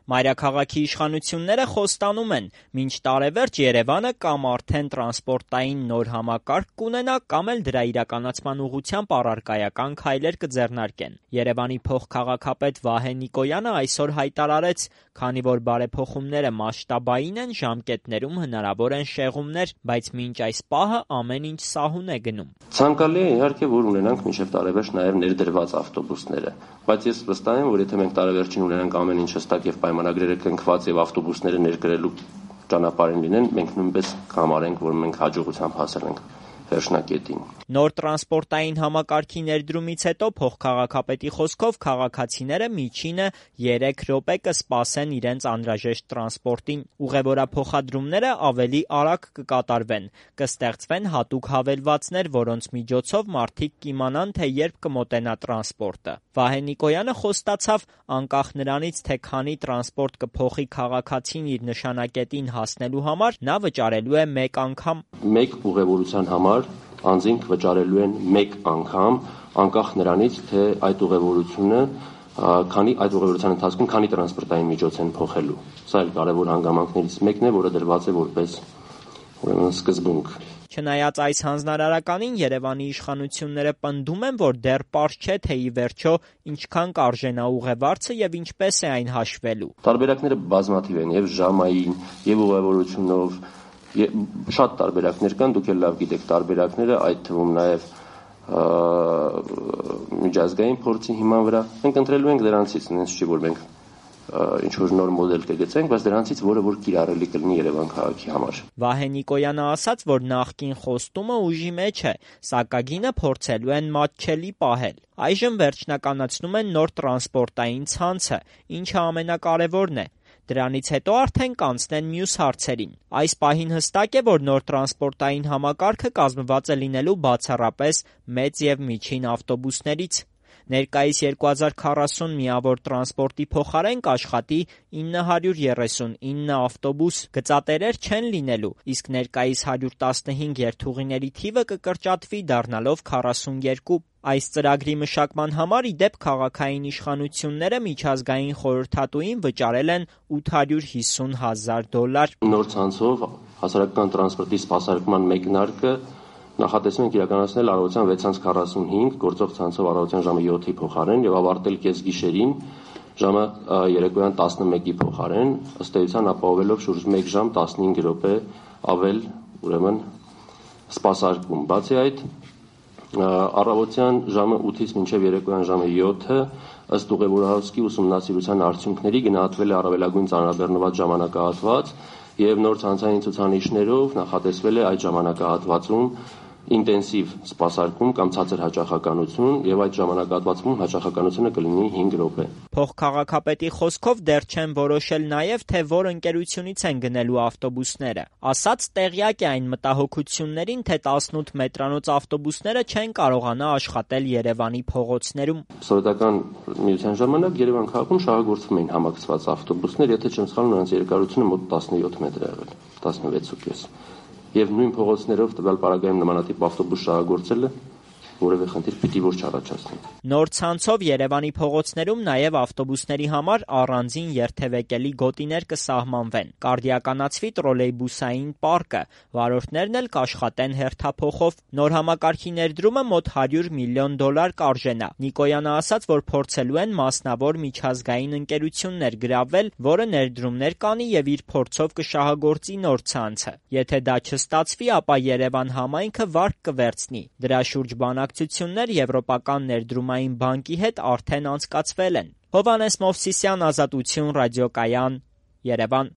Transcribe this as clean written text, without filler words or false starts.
Մայրաքաղաքի իշխանությունները խոստանում են, մինչ տարեվերջ Երևանը կամ արդեն տրանսպորտային նոր համակարգ կունենա, կամ էլ դրա իրականացման ուղղությամբ առարկայական քայլեր կձեռնարկեն։ Երևանի փոխքաղաքապետ Վահե Նիկոյանը այսօր հայտարարեց, քանի որ բարեփոխումները մասշտաբային են, ժամկետներում հնարավոր են շեղումներ, բայց մինչ այս պահը ամեն ինչ սահուն է գնում։ Ցանկալի է իհարկե, որ ունենանք մինչև տարեվերջ նաև ներդրված ավտոբուսները, բայց ես վստահ եմ, որ եթե մենք տարեվերջին ունենանք ամեն ինչ հստակ եւ պայմանագրերը կնքված եւ ավտոբուսները ներկրելու ճանապարհին լինեն, մենք նույնպես կհամարենք, որ մենք հաջողությամբ հասել ենք վերջնակետին։ Նոր տրանսպորտային համակարգի ներդրումից հետո փոխքաղաքապետի խոսքով քաղաքացիները միջինը 3 րոպե կսպասեն իրենց անհրաժեշտ տրանսպորտին։ Ուղևորափոխադրումները ավելի արագ կկատարվեն, կստեղծվեն հատուկ հավելվածներ, որոնց միջոցով մարդիկ կիմանան, թե երբ կմոտենա տրանսպորտը։ Վահե Նիկոյանը խոստացավ, անկախ նրանից, թե քանի տրանսպորտ կփոխի քաղաքացին իր նշանակետին հասնելու համար, նա վճարելու է 1 անգամ։ Մեկ ուղևորության համար անձինք վճարելու են 1 անգամ, անկախ նրանից, թե այդ ուղևորությունը այդ ուղևորության ընթացքում քանի տրանսպորտային միջոց են փոխելու։ Սա էլ կարևոր հանգամանքներից մեկն է, որը դրված է որպես սկզբունք։ Չնայած այս հանձնարարականին, Երևանի իշխանությունները պնդում են, որ դեռ պարզ չէ, թե ի վերջո ինչքան կարժենա ուղևորցը եւ ինչպես է այն հաշվելու։ Տարբերակները բազմաթիվ են, եւ ժամային, եւ ուղևորությունով, շատ տարբերակներ կան, դուք էլ լավ գիտեք տարբերակները, այդ թվում նաև միջազգային փորձի հիման վրա։ Մենք ընտրելու ենք դրանցից, նենց չի, որ մենք ինչ-որ նոր մոդել կգծենք, բայց դրանցից որը որ կիրառելի կլինի Երևան քաղաքի համար։ Վահե Նիկոյանը ասաց, որ նախկին խոստումը ուժի մեջ է, սակագինը փորձելու են մատչելի պահել։ Այժմ վերջնականացնում են նոր տրանսպորտային ցանցը, ինչը ամենակարևորն է։ Դրանից հետո արդեն կանցնեն մյուս հարցերին։ Այս պահին հստակ է, որ նոր տրանսպորտային համակարգը կազմված է լինելու բացառապես մեծ եւ միջին ավտոբուսներից։ Ներկայիս 2040 միավոր տրանսպորտի փոխարեն կաշխատի 939 ավտոբուս, գծատերեր չեն լինելու, իսկ ներկայիս 115 երթուղիների թիվը կկրճատվի, դառնալով 42։ Այս ծրագրի մշակման համար, ի դեպ, քաղաքային իշխանությունները միջազգային խորհրդատուին վճարել են $850,000։ Նոր ցանցով հասարակական տրանսպորտի սպասարկման մեկնարկը նախատեսվում ենք իրականացնել առավոտյան 6:45 գործող ցանցով առավոտյան ժամը 7-ի փոխարեն եւ ավարտել կեսգիշերին ժամը երեկոյան 11-ի փոխարեն, ըստ էության ապահովելով շուրջ 1 ժամ 15 րոպե ավել, ուրեմն սպասարկում։ Բացի այդ, առավոտյան ժամը 8-ից մինչև երեկոյան ժամը 7-ը ըստ ուղևորահոսքի ուսումնասիրության արդյունքների գնահատվել է առավելագույն ծանրաբեռնված ժամանակահատված եւ նոր ցանցային ցուցանիշներով նախատեսվել է այդ ժամանակահատվածում ինտենսիվ սպասարկում կամ ցածր հաճախականություն եւ այդ ժամանակահատվածում հաճախականությունը կլինի 5 րոպե։ Փոխքաղաքապետի խոսքով դեռ չեն որոշել նաեւ, թե որ ընկերությունից են գնելու ավտոբուսները։ Ասաց տեղյակ է այն մտահոգություններին, թե 18 մետրանոց ավտոբուսները չեն կարողանա աշխատել Երևանի փողոցներում։ Սովետական միության ժամանակ Երևան քաղաքում շահագործվում էին համակցված ավտոբուսներ, եթե չեմ սխալվում, նրանց երկարությունը մոտ 17 մետր է եղել, 16.5։ Եվ նույն փողոցներով տվյալ պարագայում նմանատիպ ավտոբուս շահագործելը որևէ խնդիր պիտի որ չառաջացնի։ Նոր ցանցով Երևանի փողոցներում նաև ավտոբուսների համար առանձին երթևեկելի գոտիներ կսահմանվեն։ Կարդիականացվի տրոլեյբուսային պարկը, վարորդներն էլ կաշխատեն հերթափոխով։ Նոր համակարգի ներդրումը մոտ $100 միլիոն կարժենա։ Նիկոյանը ասաց, որ փորձելու են մասնավոր միջազգային ընկերություններ գրավել, որը ներդրումներ կանի եւ իր փորձով կշահագործի նոր ցանցը։ Եթե դա չստացվի, ապա Երևան համայնքը վարկ կվերցնի։ Դրա շուրջ բանակցություններ Եվրոպական ներդրումային բանկի հետ արդեն անցկացվել են։ Հովհաննես Մովսիսյան, Ազատություն, ռադիոկայան, Երևան։